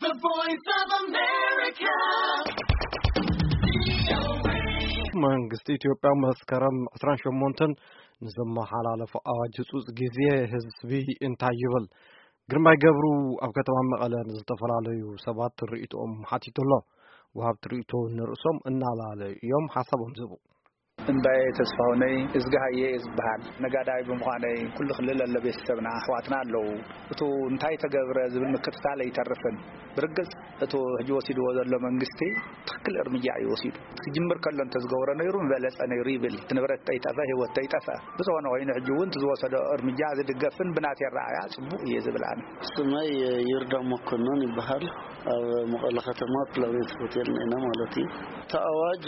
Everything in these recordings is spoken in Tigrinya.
The Voice of America. መንግስቲ ኢትዮጵያ መስከረም ዕስራን ሸሞንተን ንዘመሓላለፎ ኣዋጅ ህጹጽ ግዜ ህዝቢ እንታይ ይብል? ግርማይ ገብሩ ኣብ ከተማ መቐለ ንዝተፈላለዩ ሰባት ርእይቶኦም ሓቲቱ ኣሎ። ወሃብቲ ርእይቶ ንርእሶም እናላለዩ እዮም ሓሳቦም ዝህቡ። እምባየ ተስፋሁነይ እዝግሃየ እየ ዝበሃል። ነጋዳይ ብምዃነይ ኩሉ ክልል ኣሎ ቤተሰብና፣ ኣሕዋትና ኣለዉ። እቱ እንታይ ተገብረ ዝብል ምክትታል ኣይተርፍን። ብርግጽ እቱ ሕጂ ወሲድዎ ዘሎ መንግስቲ ትኽክል እርምጃ እዩ ወሲዱ። ክጅምር ከሎ እንተዝገብሮ ነይሩ ምበለጸ ነይሩ ይብል። እቲ ንብረት ተይጠፈ፣ ህይወት ተይጠፈ። ብዝኾነ ኮይኑ ሕጂ እውን እቲ ዝወሰዶ እርምጃ ዝድገፍን ብናተይ ኣረኣእያ ጽቡቕ እየ ዝብል ኣነ። ስመይ ይርዳ መኮንን ይበሃል። ኣብ መቐለ ከተማ ፕላኔት ሆቴል ኢና ማለት እዩ። እቲ ኣዋጅ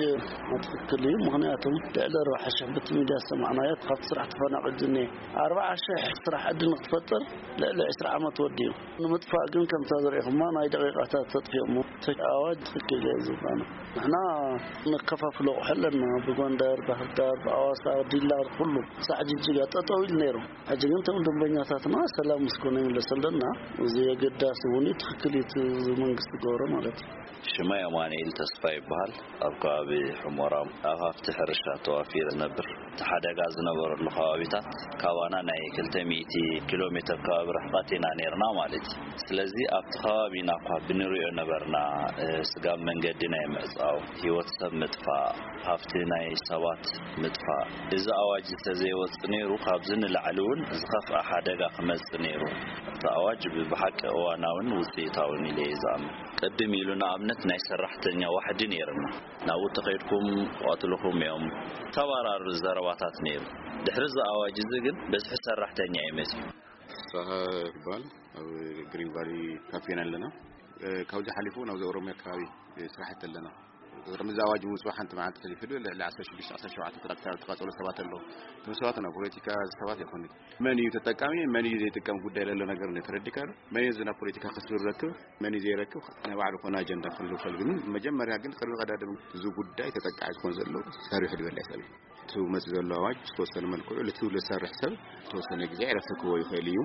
ትኽክል እዩ። ምኽንያቱም ልዕሊ ኣርባዓ ሽሕ ብቲ ሚድያ ዝሰማዕናዮ ካብቲ ስራሕ ተፈናቒሉ እኒኤ። ኣርባዓ ሽሕ ስራሕ ዕድል ንክትፈጥር ልዕሊ ዕስራ ዓመት ወዲኡ። ንምጥፋእ ግን ከምታ ዝረኢኹማ ናይ ደቂቃታት ተጥፊኦሞ። እቲ ኣዋጅ ትኽክል እዩ ዝባነ። ንሕና ነከፋፍሎ ኣቑሑ ኣለና። ብጎንደር፣ ባህርዳር፣ ብኣዋሳ፣ ዲላ፣ ኩሉ ሳዕ ጅጅጋ ጠጠው ኢሉ ነይሩ። ሕጂ ግን እቶም ደንበኛታትና ሰላም ምስ ኮነ ይምለሰለና። እዚ ኣገዳሲ እውን እዩ፣ ትኽክል እዩ እቲ መንግስቲ ዝገብሮ ማለት እዩ። ሽመይ ኣማኑኤል ተስፋ ይበሃል። ኣብ ከባቢ ሑመራ ኣብ ሃፍቲ ሕርሻ ተዋፊረ ዝነብር። እቲ ሓደጋ ዝነበረሉ ከባቢታት ካባና ናይ ክልተ ሚእቲ ኪሎ ሜትር ከባቢ ርሕቐት ኢና ነይርና ማለት እዩ። ስለዚ ኣብቲ ከባቢና እኳ ብንሪኦ ነበርና፣ እ፣ ስጋብ መንገዲ ናይ ምዕጻው፣ ህይወት ሰብ ምጥፋእ፣ ሃፍቲ ናይ ሰባት ምጥፋእ። እዚ ኣዋጅ እንተዘይወጽእ ነይሩ ካብዚ ንላዕሊ እውን ዝኸፍኣ ሓደጋ ክመጽእ ነይሩ። እቲ ኣዋጅ ብ-፣ ብሓቂ እዋናውን ውጽኢታውን ኢለ እየ ዝኣምን። ቅድም ኢሉ ንኣብነት ናይ ሰራሕተኛ ዋሕዲ ነይርና። ናብኡ ተኸይድኩም ክቐትልኹም እዮም። ተባራሪ ዘረባታት ነይሩ። ድሕሪ እዚ ኣዋጅ እዚ ግን በዝሒ ሰራሕተኛ እዩ መጺኡ። ፍስሃ ይባል። ኣብ ግሪን ቫሊ ካፌ ኢና ኣለና። እ፣ ካብዚ ሓሊፉ ናብዚ ኦሮሚያ ከባቢ፣ እ፣ ስራሕቲ ኣለና። ቅድሚ እዚ ኣዋጅ ምውፅኡ ሓንቲ መዓልቲ ከይፍሉ ልዕሊ ዓሰርተ ሽዱሽተ ዓሰርተ ሸውዓተ ትራክተር ተቃፀሉ ሰባት ኣለዉ። እቶም ሰባት ናብ ፖለቲካ ሰባት ኣይኮኑን። መን እዩ ተጠቃሚ፣ መን እዩ ዘይጥቀም ጉዳይ ለሎ ነገር እንደ ተረዲካ ዶ? መን እዩ ናብ ፖለቲካ ክስብ ዝረክብ፣ መን እዩ ዘይረክብ፣ ናይ ባዕሉ ኮነ ኣጀንዳ ክህልው ይኽእል። ግን መጀመርያ ግን ቅድሚ ቀዳድም እዚ ጉዳይ ተጠቃዒ ዝኾን ዘሎ ሰሪሑ ዝበለ ሰብ እዩ። እቲ መፅእ ዘሎ ኣዋጅ ዝተወሰነ መልክዑ ልትው ልሰርሕ ሰብ ዝተወሰነ ግዜ ዕረፍቲ ክህቦ ይኽእል እዩ፣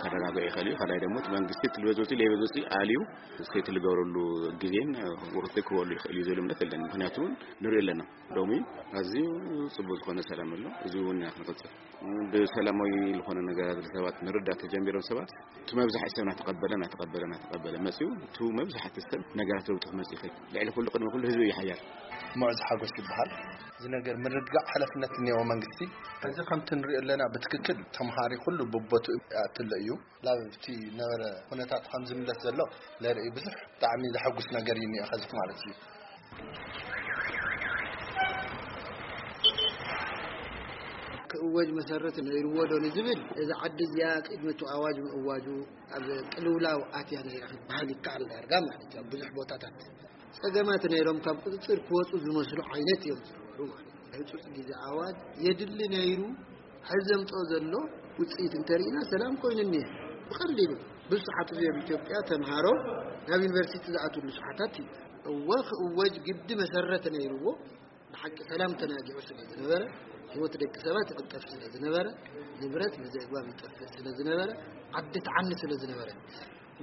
ከረጋግዑ ይኽእል እዩ። ካልኣይ ደግሞ እቲ መንግስቲ እቲ ልበዞፂ ለይበዞፂ ኣልዩ ሴት ልገብረሉ ግዜን ውርፊ ክህበሉ ይኽእል እዩ ዝብል እምነት የለን። ምክንያቱ እውን ንሪኦ ኣለና። ሎሚ ኣዝዩ ጽቡቅ ዝኾነ ሰላም ኣሎ። እዚ እውን ኢና ክንቕጽል። ብሰላማዊ ዝኾነ ነገራት ሰባት ንርዳእ ተጀሚሮም ሰባት፣ እቲ መብዛሕቲ ሰብ እናተቐበለ፣ እናተቐበለ፣ እናተቐበለ መጺኡ፣ እቲ መብዛሕቲ ሰብ ነገራት ለውጢ ክመጽእ ይኽእል። ልዕሊ ኩሉ፣ ቅድሚ ኩሉ ህዝቢ እዩ ሓያል። ሙዕዝ ሓጎስ ይበሃል። እዚ ነገር ምርግጋእ ሓላፍነት እኒኦ መንግስቲ። እዚ ከምቲ ንሪኦ ኣለና ብትክክል ተምሃሪ ኩሉ ብቦትኡ ይኣትሎ እዩ። ላብቲ ነበረ ኩነታት ከም ዝምለስ ዘሎ ለርኢ ብዙሕ ብጣዕሚ ዘሐጉስ ነገር እዩ እኒኦ ኸዚ ማለት እዩ። ክእወጅ መሰረት ነይርዎ ዶ ንዝብል፣ እዚ ዓዲ እዚኣ ቅድሚ እቲ ኣዋጅ ምእዋጁ ኣብ ቅልውላው ኣትያ ነይራ ክትበሃል ይከኣል ዳርጋ ማለት እዩ። ኣብ ብዙሕ ቦታታት ጸገማት ነይሮም፣ ካብ ቁጽጽር ክወጹ ዝመስሉ ዓይነት እዮም ዝነበሩ ማለት እዩ። ህጹጽ ግዜ ኣዋጅ የድሊ ነይሩ። ሕዚ ዘምጽኦ ዘሎ ውጽኢት እንተሪእና ሰላም ኮይኑ እኒሀ። ብቐሊሉ ብዙሓት እዚኦም ኢትዮጵያ ተምሃሮ ናብ ዩኒቨርሲቲ ዝኣትውሉ ሰዓታት እዩ። እወ ክእወጅ ግዲ መሰረት ነይርዎ። ብሓቂ ሰላም ተናጊዑ ስለ ዝነበረ፣ ህይወት ደቂ ሰባት ይቕጠፍ ስለ ዝነበረ፣ ንብረት ብዘይ ኣግባብ ይጠፍእ ስለ ዝነበረ፣ ዓዲ ትዓኒ ስለ ዝነበረ፣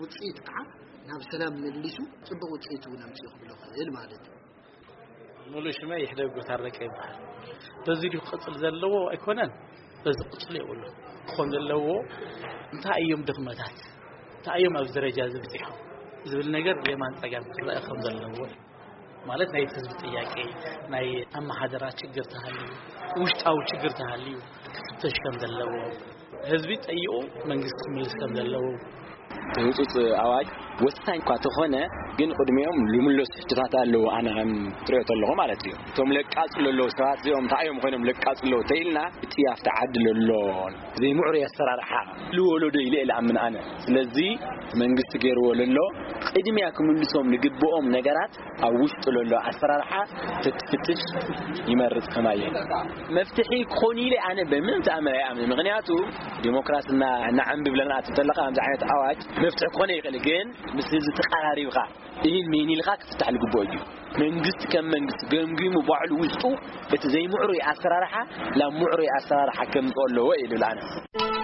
ውጽኢት ከዓ ናብ ሰላም መሊሱ ጽቡቕ ውጽኢት እውን ኣምጺኡ ክብሎ ክኽእል ማለት እዩ። ሙሉ ሽመይ ይሕደጉ ታረቀ ይበሃል። በዚ ድዩ ክቕጽል ዘለዎ ኣይኮነን፣ በዚ ቅጽሉ የብሉ። ክኾን ዘለዎ እንታይ እዮም ድኽመታት፣ እንታይ እዮም ኣብዚ ደረጃ እዚ በጺሖም ዝብል ነገር የማን ጸጋም ክረአ ከም ዘለዎ ማለት ናይ ህዝቢ ጥያቄ፣ ናይ ኣመሓደራ ችግር ተሃልዩ፣ ውሽጣዊ ችግር ተሃልዩ ክፍተሽ ከም ዘለዎ፣ ህዝቢ ጠይቑ መንግስቲ ክምልስ ከም ዘለዎ። ህጹጽ ኣዋጅ ወሳኝ እኳ ተኾነ፣ ግን ቅድሚኦም ልምለሱ ሕቶታት ኣለዉ። ኣነ ከም ትሪኦ ተለኹ ማለት እዩ። እቶም ለቃጽሉ ኣለዉ ሰባት እዚኦም እንታይ እዮም ኮይኖም ለቃጽሉ ኣለዉ ተኢልና፣ እቲ ኣብቲ ዓዲ ለሎ ዘይምዕሩይ ኣሰራርሓ ልወለዶ ኢለ እየ ልኣምን ኣነ። ስለዚ መንግስቲ ገይርዎ ለሎ ቅድሚያ ክምልሶም ልግብኦም ነገራት ኣብ ውሽጡ ለሎ ኣሰራርሓ ተትፍትሽ ይመርጽ ከማየ። መፍትሒ ክኾን ኢለ ኣነ በምንም ተኣምር ኣይኣምን። ምኽንያቱ ዲሞክራሲ እና-፣ እናዓንብብ ለና ተለኻ ከምዚ ዓይነት ኣዋጅ መፍትሒ ክኾነ ይኽእል፣ ግን ምስ ህዝቢ ተቀራሪብካ ኢሂን ሚሂን ኢልካ ክፍታሕ ልግብኦ እዩ። መንግስቲ ከም መንግስቲ ገምጊሙ ባዕሉ ውሽጡ እቲ ዘይምዕሩይ ኣሰራርሓ ናብ ምዕሩይ ኣሰራርሓ ከምፅኦ ኣለዎ እዩ ልብል ኣነ።